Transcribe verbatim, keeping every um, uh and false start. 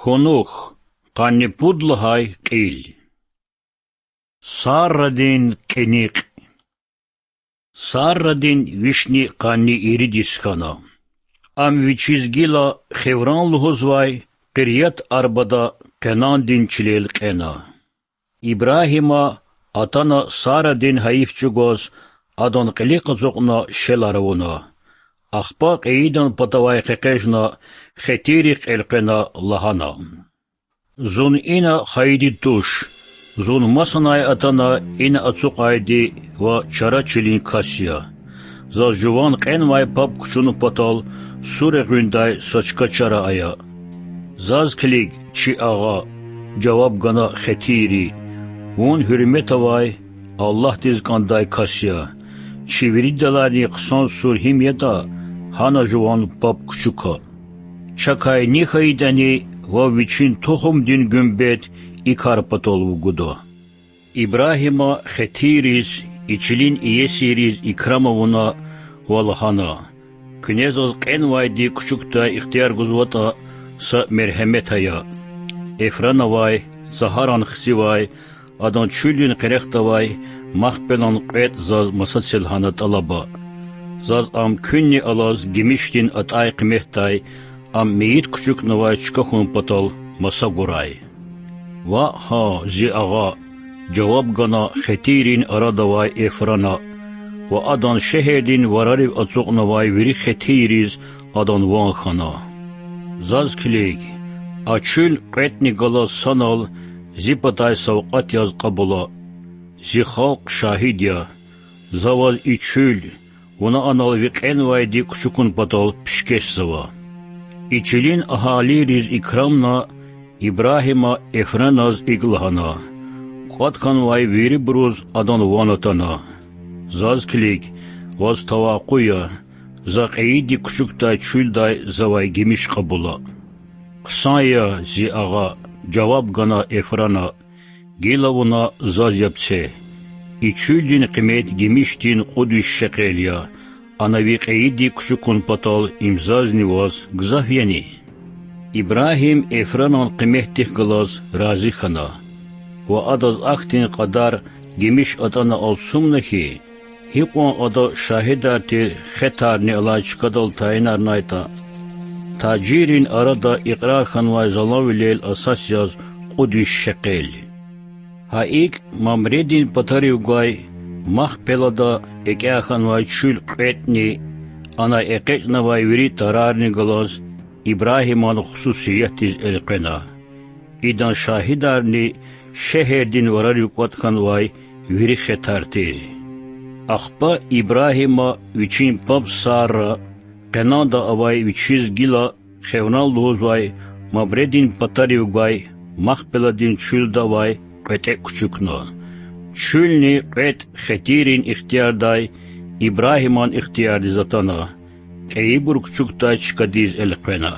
Кунух, къанни пуд лагьай кьил. Саррадин кьиникь. Саррадин вишни къанни ирид йис хьана. Ам вичиз гила Хевран лугьузвай Къирят-Арбада Къенандин чилел кьена. Ибрагьима атана Сарадин гьайиф чӀугваз, адан кьилихъ ацукьна шелар авуна. Ахпа кьейидан патавай къекъвежна, хетийрихъ элкъвена лагьана: Зун ина хайиди туш, зун масанай атана ина ацукьайди ва чара чилин кас я. Заз жуван кьенвай паб кучун патал сур эгъуьндай са чка чара ая. Заз килиг, чи агъа,— жаваб гана хетийри,— вун гьуьрмет авай, Аллагьдиз кӀандай кас я. Чи виридалайни хъсан сур гьим ятӀа, гьана жуван паб кучука. Чакай ни хьайитӀани, вав вичин тухумдин гуьмбет и кар патал вугуда. Ибрагьима хетийриз, и чилин иесийриз икрам авуна ва лагьана: Куьне заз кьенвайди кучукдай ихтияр гузватӀа, са мергьемет ая. Эфранавай, Цагьаран хцивай, адан чуьлдин къерехдавай Махпелан кьветӀ заз масацел гьана тӀалаба. Заз ам куьнни алаз гимишдин атӀай къиметдай, ам мейит кучукнавай чка хьун патал, маса гурай. Ваъ гьа, зи агъа,— жаваб гана хетийрин арадавай Эфрана ва адан шегьердин варарив ацукьнавай вири хетийриз адан ван хьана. Заз килиг, а чуьл кьветӀни галаз санал зи патай савкьват яз кьабула. Зи халкь шагьид я. За ваз и чуьл, вуна анал ви кьенвайди кучукун патал пишкешзава. И чилин агьалийриз икрамна, Ибрагьима Эфраназ икӀ лагьана: КӀватӀ хьанвай вирибуруз адан ван атана. Заз килиг, ваз тавакъу я, за кьейиди кучукдай чуьлдай завай гимиш кьабула. Хъсан я, зи агъа,— жаваб гана Эфрана,— гила вуна заз яб це. И чуьлдин къимет гимишдин кьуд виш шекъел я, ана ви кьейиди кучукун патал им зазни ваз гзаф яни? Ибрагьим Эфранан къиметдихъ галаз рази хьана ва адаз ахьтин кьадар гимиш атӀана алцумна хьи, гьикьван ада шагьидар тир хетарни алай чкадал тайинарнайтӀа, тажиррин арада икьрар хьанвай заланвилел асас яз кьуд виш шекъел. Гьа икӀ, Мамредин патарив гвай Махпелада экӀя хьанвай чуьл кьветӀни, анай экъечӀнавай вири тарарни галаз Ибрагьиман хсусиятдиз элкъвена. Идан шагьидарни шегьердин варарив кӀватӀ хьанвай вири хетар тир. Ахпа Ибрагьима вичин паб Сара Къенанда авай вичиз гила Хевран лугьузвай Мамредин патарив гвай Махпеладин чуьлда авай кьветӀе кучукна. Чуьлни кьветӀ хетийрин ихтиярдай Ибрагьиман ихтиярдиз атана, кьейибур кучукдай чкадиз элкъвена.